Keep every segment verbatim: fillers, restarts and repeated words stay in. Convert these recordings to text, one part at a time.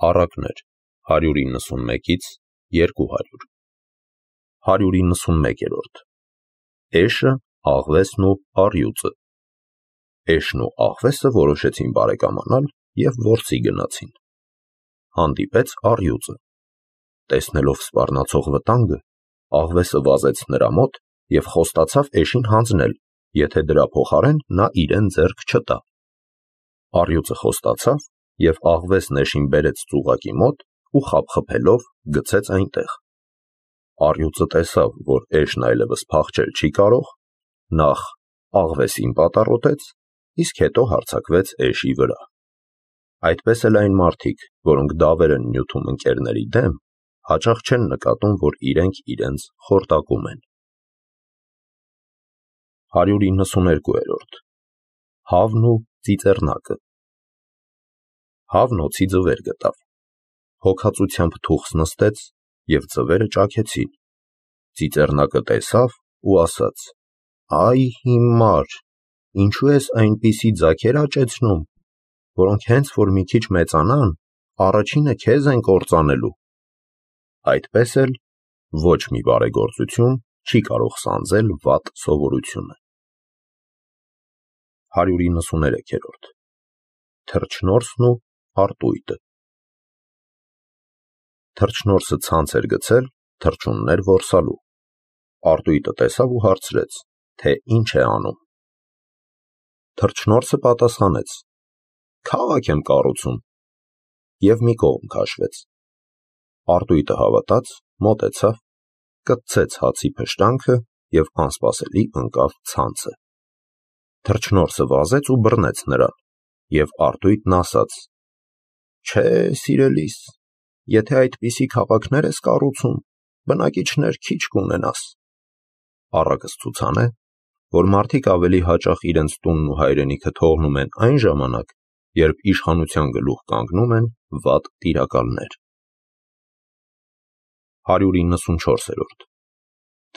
Առակներ հարյուր իննսունմեկից երկու հարյուր հարյուր իննսունմեկերորդ Էշը, աղվեսն ու առյուծը Էշն ու աղվեսը որոշեցին բարեկամանալ և որսի գնացին։ Հանդիպեց առյուծը։ Տեսնելով սպառնացող վտանգը, աղվեսը վազեց նրա մոտ և խոստացավ էշին հանձնել, եթե դրա փոխարեն նա իրեն ձեռք չտա։ Առյուծը խոստացավ և աղվեսն էշին բերեց ծուղակի մոտ ու խաբխբելով գցեց այնտեղ։ Առյուծը տեսավ, որ էշն այլևս փախչել չի կարող, նախ աղվեսին պատառոտեց, իսկ հետո հարձակվեց էշի վրա։ Այդպես էլ այն մարդիկ, որոնք դավեր են նյութում ընկերների դեմ, հաճախ չեն նկատում, որ իրենք իրենց խորտակում են։ հարյուր իննսուներկուերորդ Հավն ու ծիծեռնակը Հավն օձի ձվեր գտավ։ Հոգածությամբ թուխս նստեց, և ձվերը ճաքեցին։ Ծիծեռնակը տեսավ ու ասաց. «Այ հիմար, ինչու ես այնպիսի ձագեր աճեցնում, որոնք հենց որ մի քիչ մեծանան, առաջինը քեզ են կործանելու»։ Այդպես էլ ոչ մի բարեգործություն չի կարող սանձել վատ սովորությունը։ հարյուր իննսուներեքերորդ Թռչնորսն ու արտույտը Թռչնորսը ցանց էր գցել թռչուններ որսալու։ Արտույտը տեսավ ու հարցրեց, թե ինչ է անում։ Թռչնորսը պատասխանեց. «Քաղաք եմ կառուցում» և մի կողմ քաշվեց։ Արտույտը հավատաց, մոտեցավ, կտցեց հացի փշտանքը և անսպասելի ընկավ ցանցը։ Թռչնորսը վազեց ու բռնեց նրան, և արտույտն ասաց. «Չէ, սիրելիս, եթե այդպիսի քաղաքներ ես կառուցում, բնակիչներ քիչ կունենաս»։ Առակս ցուցան է, որ մարդիկ ավելի հաճախ իրենց տունն ու հայրենիքը թողնում են այն ժամանակ, երբ իշխանության գլուխ կանգնում են վատ տիրակալներ։ հարյուր իննսունչորսերորդ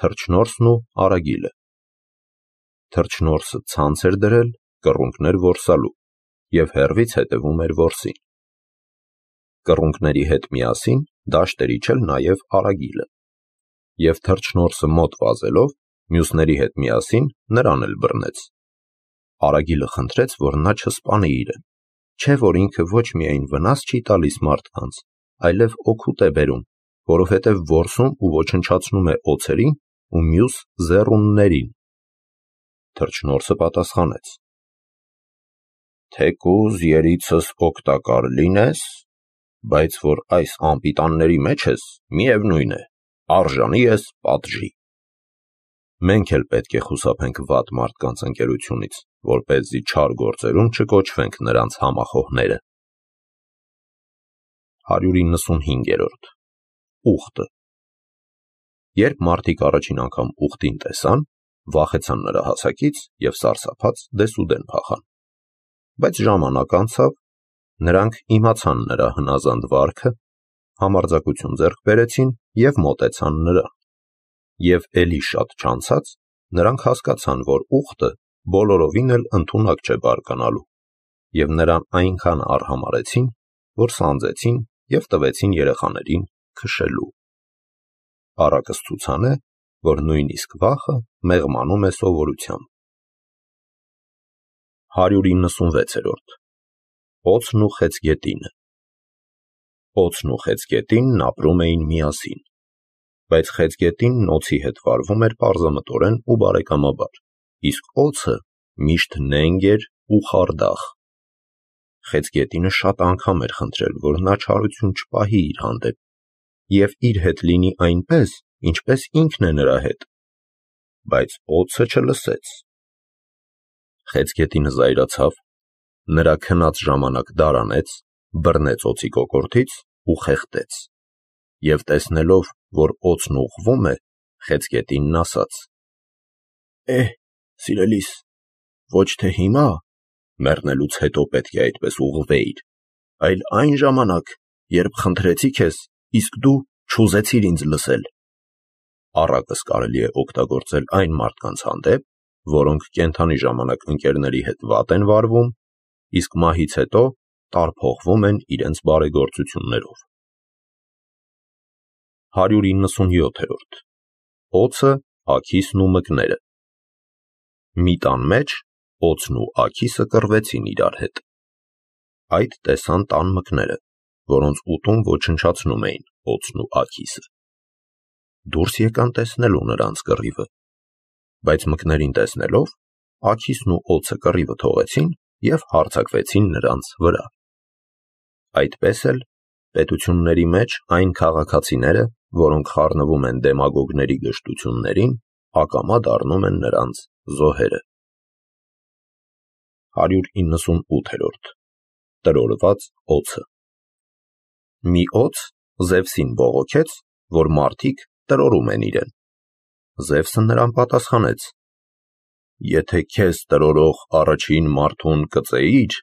Թռչնորսն ու արագիլը Թռչնորսը ցանց էր դրել կռունկներ որսալու և հեռվից հետևում էր որսին։ Կռունկների հետ միասին դաշտ էր իջել նաև արագիլը, և թռչնորսը մոտ վազելով մյուսների հետ միասին նրան էլ բռնեց։ Արագիլը խնդրեց, որ նա չսպանի իրեն, չէ որ ինքը ոչ միայն վնաս չի տալիս մարդկանց, այլև օգուտ է բերում, որովհետև որսում ու ոչնչացնում է օձերին ու մյուս զեռուններին։ Թռչնորսը պատասխանեց. «Թեկուզ երիցս օգտակար լինես, բայց որ այս անպիտանների մեջ ես, միևնույն է, արժանի ես պատժի»։ Մենք էլ պետք է խուսափենք վատ մարդկանց ընկերությունից, որպեսզի չար գործերում չկոչվենք նրանց համախոհները։ հարյուր իննսունհինգերորդ Ուղտը Երբ մարդիկ առաջին անգամ ուղտին տեսան, վախեցան նրա հասակից և սարսափած դեսուդեն փախան։ Բայց ժամանակ անցավ, նրանք իմացան նրա հնազանդ վարքը, համարձակություն ձեռք բերեցին և մոտեցան նրան։ Եվ էլի շատ չանցած նրանք հասկացան, որ ուղտը բոլորովին էլ ընդունակ չէ բարկանալու, և նրան այնքան արհամարհեցին, որ սանձեցին և տվեցին երեխաներին քշելու։ Առակս ցուցան է, որ նույնիսկ վախը մեղմանում է սովորությամբ։ հարյուր իննսունվեցերորդ Օձն ու խեցգետինը Օձն ու խեցգետինն ապրում էին միասին, բայց խեցգետինն օձի հետ վարվում էր պարզամտորեն ու բարեկամաբար, իսկ օձը միշտ նենգ էր ու խարդախ։ Խեցգետինը շատ անգամ էր խնդրել, որ նա չարություն չպահի իր հանդեպ և իր հետ լինի այնպես, ինչպես ինքն է նրա հետ, բայց օձը չլսեց։ Խեցգետինը զայրացավ, նրա քնած ժամանակ դարանեց, բռնեց օձի կոկորդից ու խեղդեց։ Եվ տեսնելով, որ օձն ուղղվում է, խեցգետինն ասաց. «Էհ, սիրելիս, ոչ թե հիմա, մեռնելուց հետո պետք է այդպես ուղղվեիր, այլ այն ժամանակ, երբ խնդրեցի քեզ, իսկ դու չուզեցիր ինձ լսել»։ Առակս կարելի է օգտագործել այն մարդկանց հանդեպ, որոնք կենդանի ժամանակ ընկերների հետ վատ են վարվում, իսկ մահից հետո տարփոխվում են իրենց բարեգործություններով։ հարյուր իննսունյոթերորդ Օձը, աքիսն ու մկները։ Մի տան մեջ օձն ու աքիսը կռվեցին իրար հետ։ Այդ տեսան տան մկները, որոնց ուտում ոչնչացնում էին օձն ու աքիսը։ Դուրս եկան տեսնելու նրանց կռիվը, բայց մկներին տեսնելով, աքիսն ու օձը կռիվը թողեցին և հարձակվեցին նրանց վրա։ Այդպես էլ պետությունների մեջ այն քաղաքացիները, որոնք խառնվում են դեմագոգների գժտություններին, ակամա դառնում են նրանց զոհերը։ հարյուր իննսունութերորդ Տրորված օձը։ Մի օձ Զևսին բողոքեց, որ մարդիկ տրորում են իրեն։ Զևսը նրան պատասխանեց. «Եթե քեզ տրորող առաջին մարդուն կծեիր,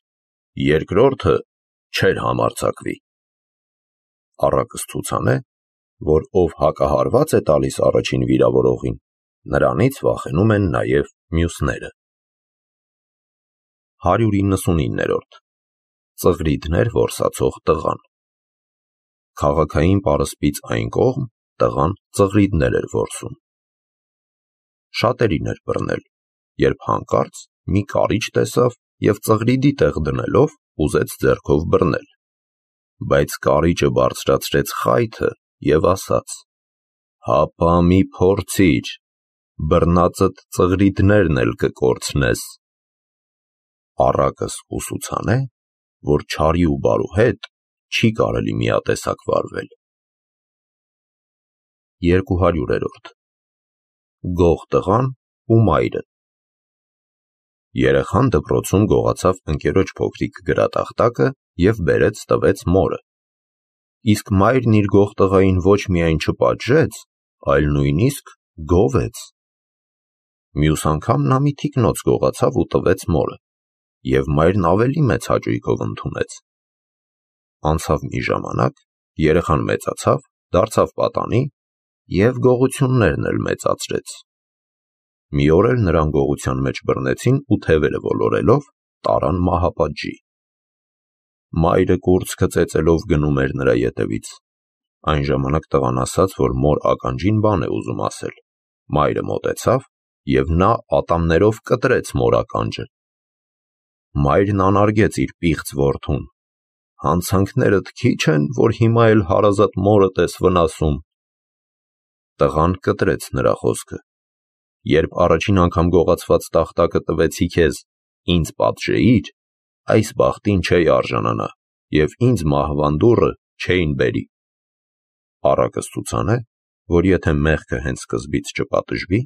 երկրորդը չէր համարձակվի»։ Առակս ցուցան է, որ ով հակահարված է տալիս առաջին վիրավորողին, նրանից վախենում են նաև մյուսները։ հարյուր իննսունիններորդ Ծղրիդներ որսացող տղան։ Քաղաքային պարսպից այն կողմ տղան ծղրիդներ էր որսում։ Շատերին էր բռնել, երբ հանկարծ մի կարիճ տեսավ և ծղրիդի տեղ դնելով ուզեց ձեռքով բռնել, բայց կարիճը բարձրացրեց խայթը և ասաց. «Հապա մի փորձիր, բռնածդ ծղրիդներն էլ կկորցնես»։ Առակս ուսուցան է, որ չարի ու բարու հետ չի կարելի միատեսակ վարվել։ երկուհարյուրերորդ Գող տղան ու մայրը։ Երեխան դպրոցում գողացավ ընկերոջ փոքրիկ գրատախտակը և բերեց տվեց մորը։ Իսկ մայրն իր գող տղային ոչ միայն չպատժեց, այլ նույնիսկ գովեց։ Մյուս անգամ նա մի թիկնոց գողացավ ու տվեց մորը, և մայրն ավելի մեծ հաճույքով ընդունեց։ Անցավ մի ժամանակ, երեխան մեծացավ, դարձավ պատանի և գողություններն էլ մեծացրեց։ Մի օր էլ նրան գողության մեջ բռնեցին ու թևերը ոլորելով տարան մահապատժի։ Մայրը կուրծքը ծեծելով գնում էր նրա ետևից։ Այն ժամանակ տղան ասաց, որ մոր ականջին բան է ուզում ասել։ Մայրը մոտեցավ և նա ատամներով կտրեց մոր ականջը։ Մայրն անարգեց իր պիղծ որդուն. «Հանցանքներդ քիչ են, որ հիմա էլ հարազատ մորդ ես վնասում»։ Տղան կտրեց նրա խոսքը. «Երբ առաջին անգամ գողացված տախտակը տվեցի քեզ, ինձ պատժեիր, այս բախտին չէի արժանանա և ինձ մահվան դուռը չէին բերի»։ Առակս ցուցան է, որ եթե մեղքը հենց սկզբից չպատժվի,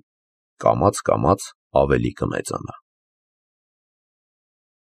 կամաց-կամաց ավելի կմեծանա։